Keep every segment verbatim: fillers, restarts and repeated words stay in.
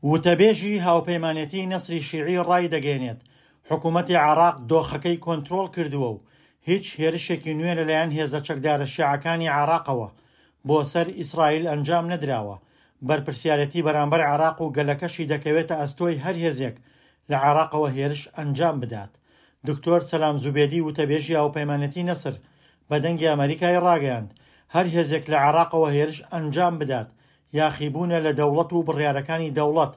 وتەبێژی هاوپەیمانێتی نەسری شیعی ڕایدەگەیەنێت، حکومەتی عێراق دۆخەکەی کۆنترۆڵ کردووە و هیچ هێرشێکی نوێ لەلایەن هێزە چەکدارە شیعەکانی عێراقەوە بۆ سەر ئیسرائیل ئەنجام نەدراوە. بەرپرسیارێتی بەرامبەر عێراق و گەلەکەشی دەکەوێتە ئەستۆی هەر هێزێک لە عێراقەوە هێرش ئەنجام بدات. دکتۆر سەلام زوبێدی وتەبێژی هاوپەیمانێتی نەسر بە دەنگی ئەمەریکای ڕاگەیاند، هەر هێزێک لە عێراقەوە هێرش ئەنجام بدات یاخیبوونە لە دەوڵەت و بڕیارەکانی دەوڵەت،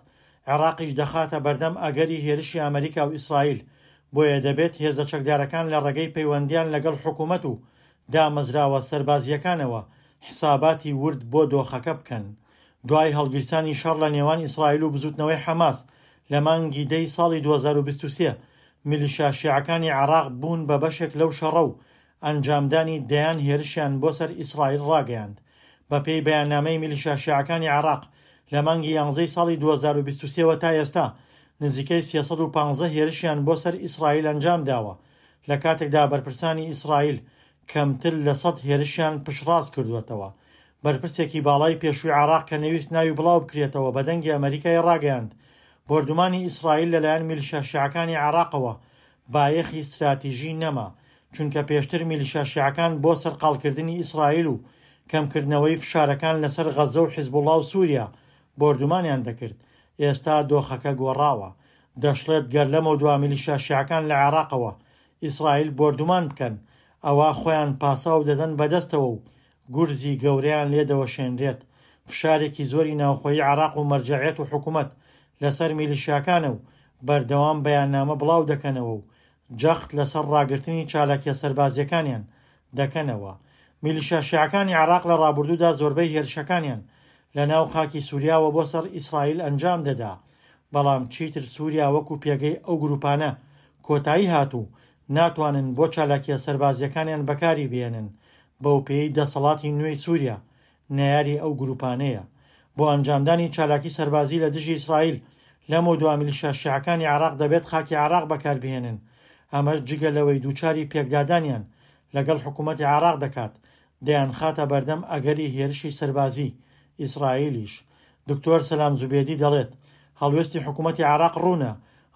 عێراقیش دەخاتە بەردەم ئەگەری هێرشی ئەمریکا و ئیسرائیل، بۆیە دەبێت هێزە چەکدارەکان لە ڕێگەی پەیوەندیان لەگەڵ حکوومەت و دامەزراوە سەربازییەکانەوە حساباتی ورد بۆ دۆخەکە بکەن. دوای هەڵگیرسانی شەڕ لە نێوان ئیسرائیل و بزوتنەوەی حەماس لە مانگی دەی ساڵی دوو هەزار و بیست و سێ، میلیشیا شیعەکانی عێراق بوون بە بەشێک لەو شەڕە و ئەنجامدانی دەیان هێرشیان بۆ سەر ئیسرائیل ڕاگەیاند. بەپێی بەیاننامەی میلیشیا شیعەکانی عێراق لە مانگی یانزەی ساڵی دوو هەزار و بیست و سێ وە تا ئێستا نزیکەی سێ سەد و پازدە هێرشیان بۆ سەر ئیسرائیل ئەنجام داوە، لە کاتێکدا بەرپرسانی ئیسرائیل کەمتر لە سەد هێرشیان پشتڕاست کردووەتەوە. بەرپرسێکی باڵای پێشووی عێراق کە نەویست ناوی بڵاو بکرێتەوە بە دەنگی ئەمریکای ڕاگەیاند، بۆردومانی ئیسرائیل لەلایەن میلیشیا شیعەکانی عێراقەوە بایەخی ستراتیژی نەما، چونکە پێشتر میلیشیا شیعەکان بۆ سەرقاڵکردنی ئیسرائیل و کەمکردنەوەی فشارەکان لەسەر غەزە و حیزبوڵا و سووریا بۆردومانیان دەکرد. ئێستا دۆخەکە گۆڕاوە. دەشڵێت گەر لەمەودوا میلیشیا شیعەکان لە عێراقەوە ئیسرائیل بۆردومان بکەن، ئەوە خۆیان پاساو دەدەن بەدەستەوە و گورزی گەورەیان لێدەوەشێنرێت. فشارێکی زۆری ناوخۆیی عێراق و مەرجەعیەت و حکوومەت لەسەر میلیشیاکانە و بەردەوام بەیاننامە بڵاو دەکەنەوە و جەخت لەسەر ڕاگرتنی چالاکیە سەربازیەکانیان دەکەنەوە. میلیشیا شیعەکانی عێراق لە ڕابردوودا زۆربەی هێرشەکانیان لە ناو خاکی سووریاوە بۆ سەر ئیسرائیل ئەنجام دەدا، بەڵام چیتر سووریا وەکو پێگەی ئەو گروپانە کۆتایی هاتوو ناتوانن بۆ چالاکیە سەربازیەکانیان بەکاری بێنن، بەو پێی دەسەڵاتی نوێی سووریا نەیاری ئەو گروپانەیە. بۆ ئەنجامدانی چالاکی سەربازی لە دژی ئیسرائیل لەمەودوا میلیشیا شیعەکانی عێراق دەبێت خاکی عێراق بەکاربهێنن، ئەمەش جگە لەوەی دووچاری پێکدادانیان لەگەڵ حکوومەتی عێراق دەکات، دەیانخاتە بەردەم ئەگەری هێرشی سەربازی ئیسرائیلیش. دکتۆر سەلام زوبێدی دەڵێت هەڵوێستی حکوومەتی عێراق ڕوونە،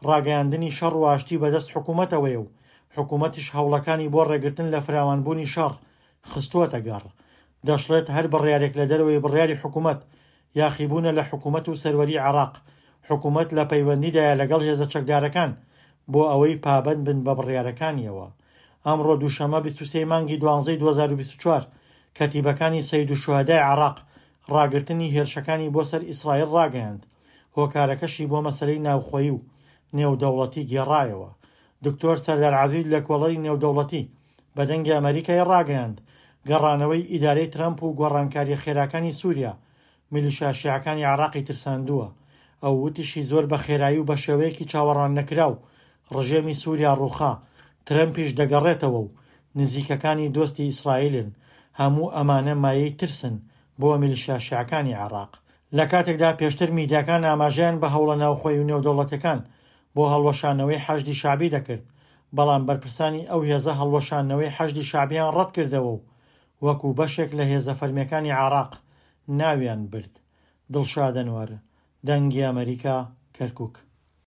ڕاگەیاندنی شەڕ و ئاشتی بەدەست حکوومەتەوەیە و حکوومەتیش هەوڵەکانی بۆ ڕێگرتن لە فراوانبوونی شەڕ خستووەتە گەڕ. دەشڵێت هەر بڕیارێک لە دەرەوەی بڕیاری حکوومەت یاخیبوونە لە حکوومەت و سەروەری عێراق. حکوومەت لە پەیوەندیدایە لەگەڵ هێزە چەکدارەکان بۆ ئەوەی پابەند بن بە بڕیارەکانیەوە. ئەمڕۆ دووشەممە بیست و سێ مانگی دوانزەی دوو هەزار و بیست و چوار کەتیبەکانی سەید و شوهەدای عێراق ڕاگرتنی هێرشەکانی بۆ سەر ئیسرائیل ڕاگەیاند، هۆکارەکەشی بۆ مەسەلەی ناوخۆیی و نێودەوڵەتی گێڕایەوە. دکتۆر سەردار عەزیز لە کۆڵەری نێودەوڵەتی بە دەنگی ئەمریکای ڕاگەیاند، گەڕانەوەی ئیدارەی ترەمپ و گۆڕانکاریە خێراکانی سووریا میلیشیا شیعەکانی عێراقی ترساندووە. ئەو وتیشی زۆر بە خێرایی و بە شێوەیەکی چاوەڕوان نەکراو ڕژێمی سووریا ڕووخا، ترەمپیش دەگەڕێتەوە و نزیکەکانی دۆستی ئیسرائیلن. هەموو ئەمانە مایەی ترسن بۆ میلیشیا شیعەکانی عێراق. لە کاتێکدا پێشتر میدیاکان ئاماژەیان بە هەوڵە ناوخۆیی و نێودەوڵەتیەکان بۆ هەڵوەشانەوەی حەشدی شەعبی دەکرد، بەڵام بەرپرسانی ئەو هێزە هەڵوەشانەوەی حەشدی شەعبیان ڕەت کردەوە و وەکو بەشێک لە هێزە فەرمیەکانی عێراق ناویان برد. دڵشاد ئەنوەر، دەنگی ئەمریکا، کەرکووک.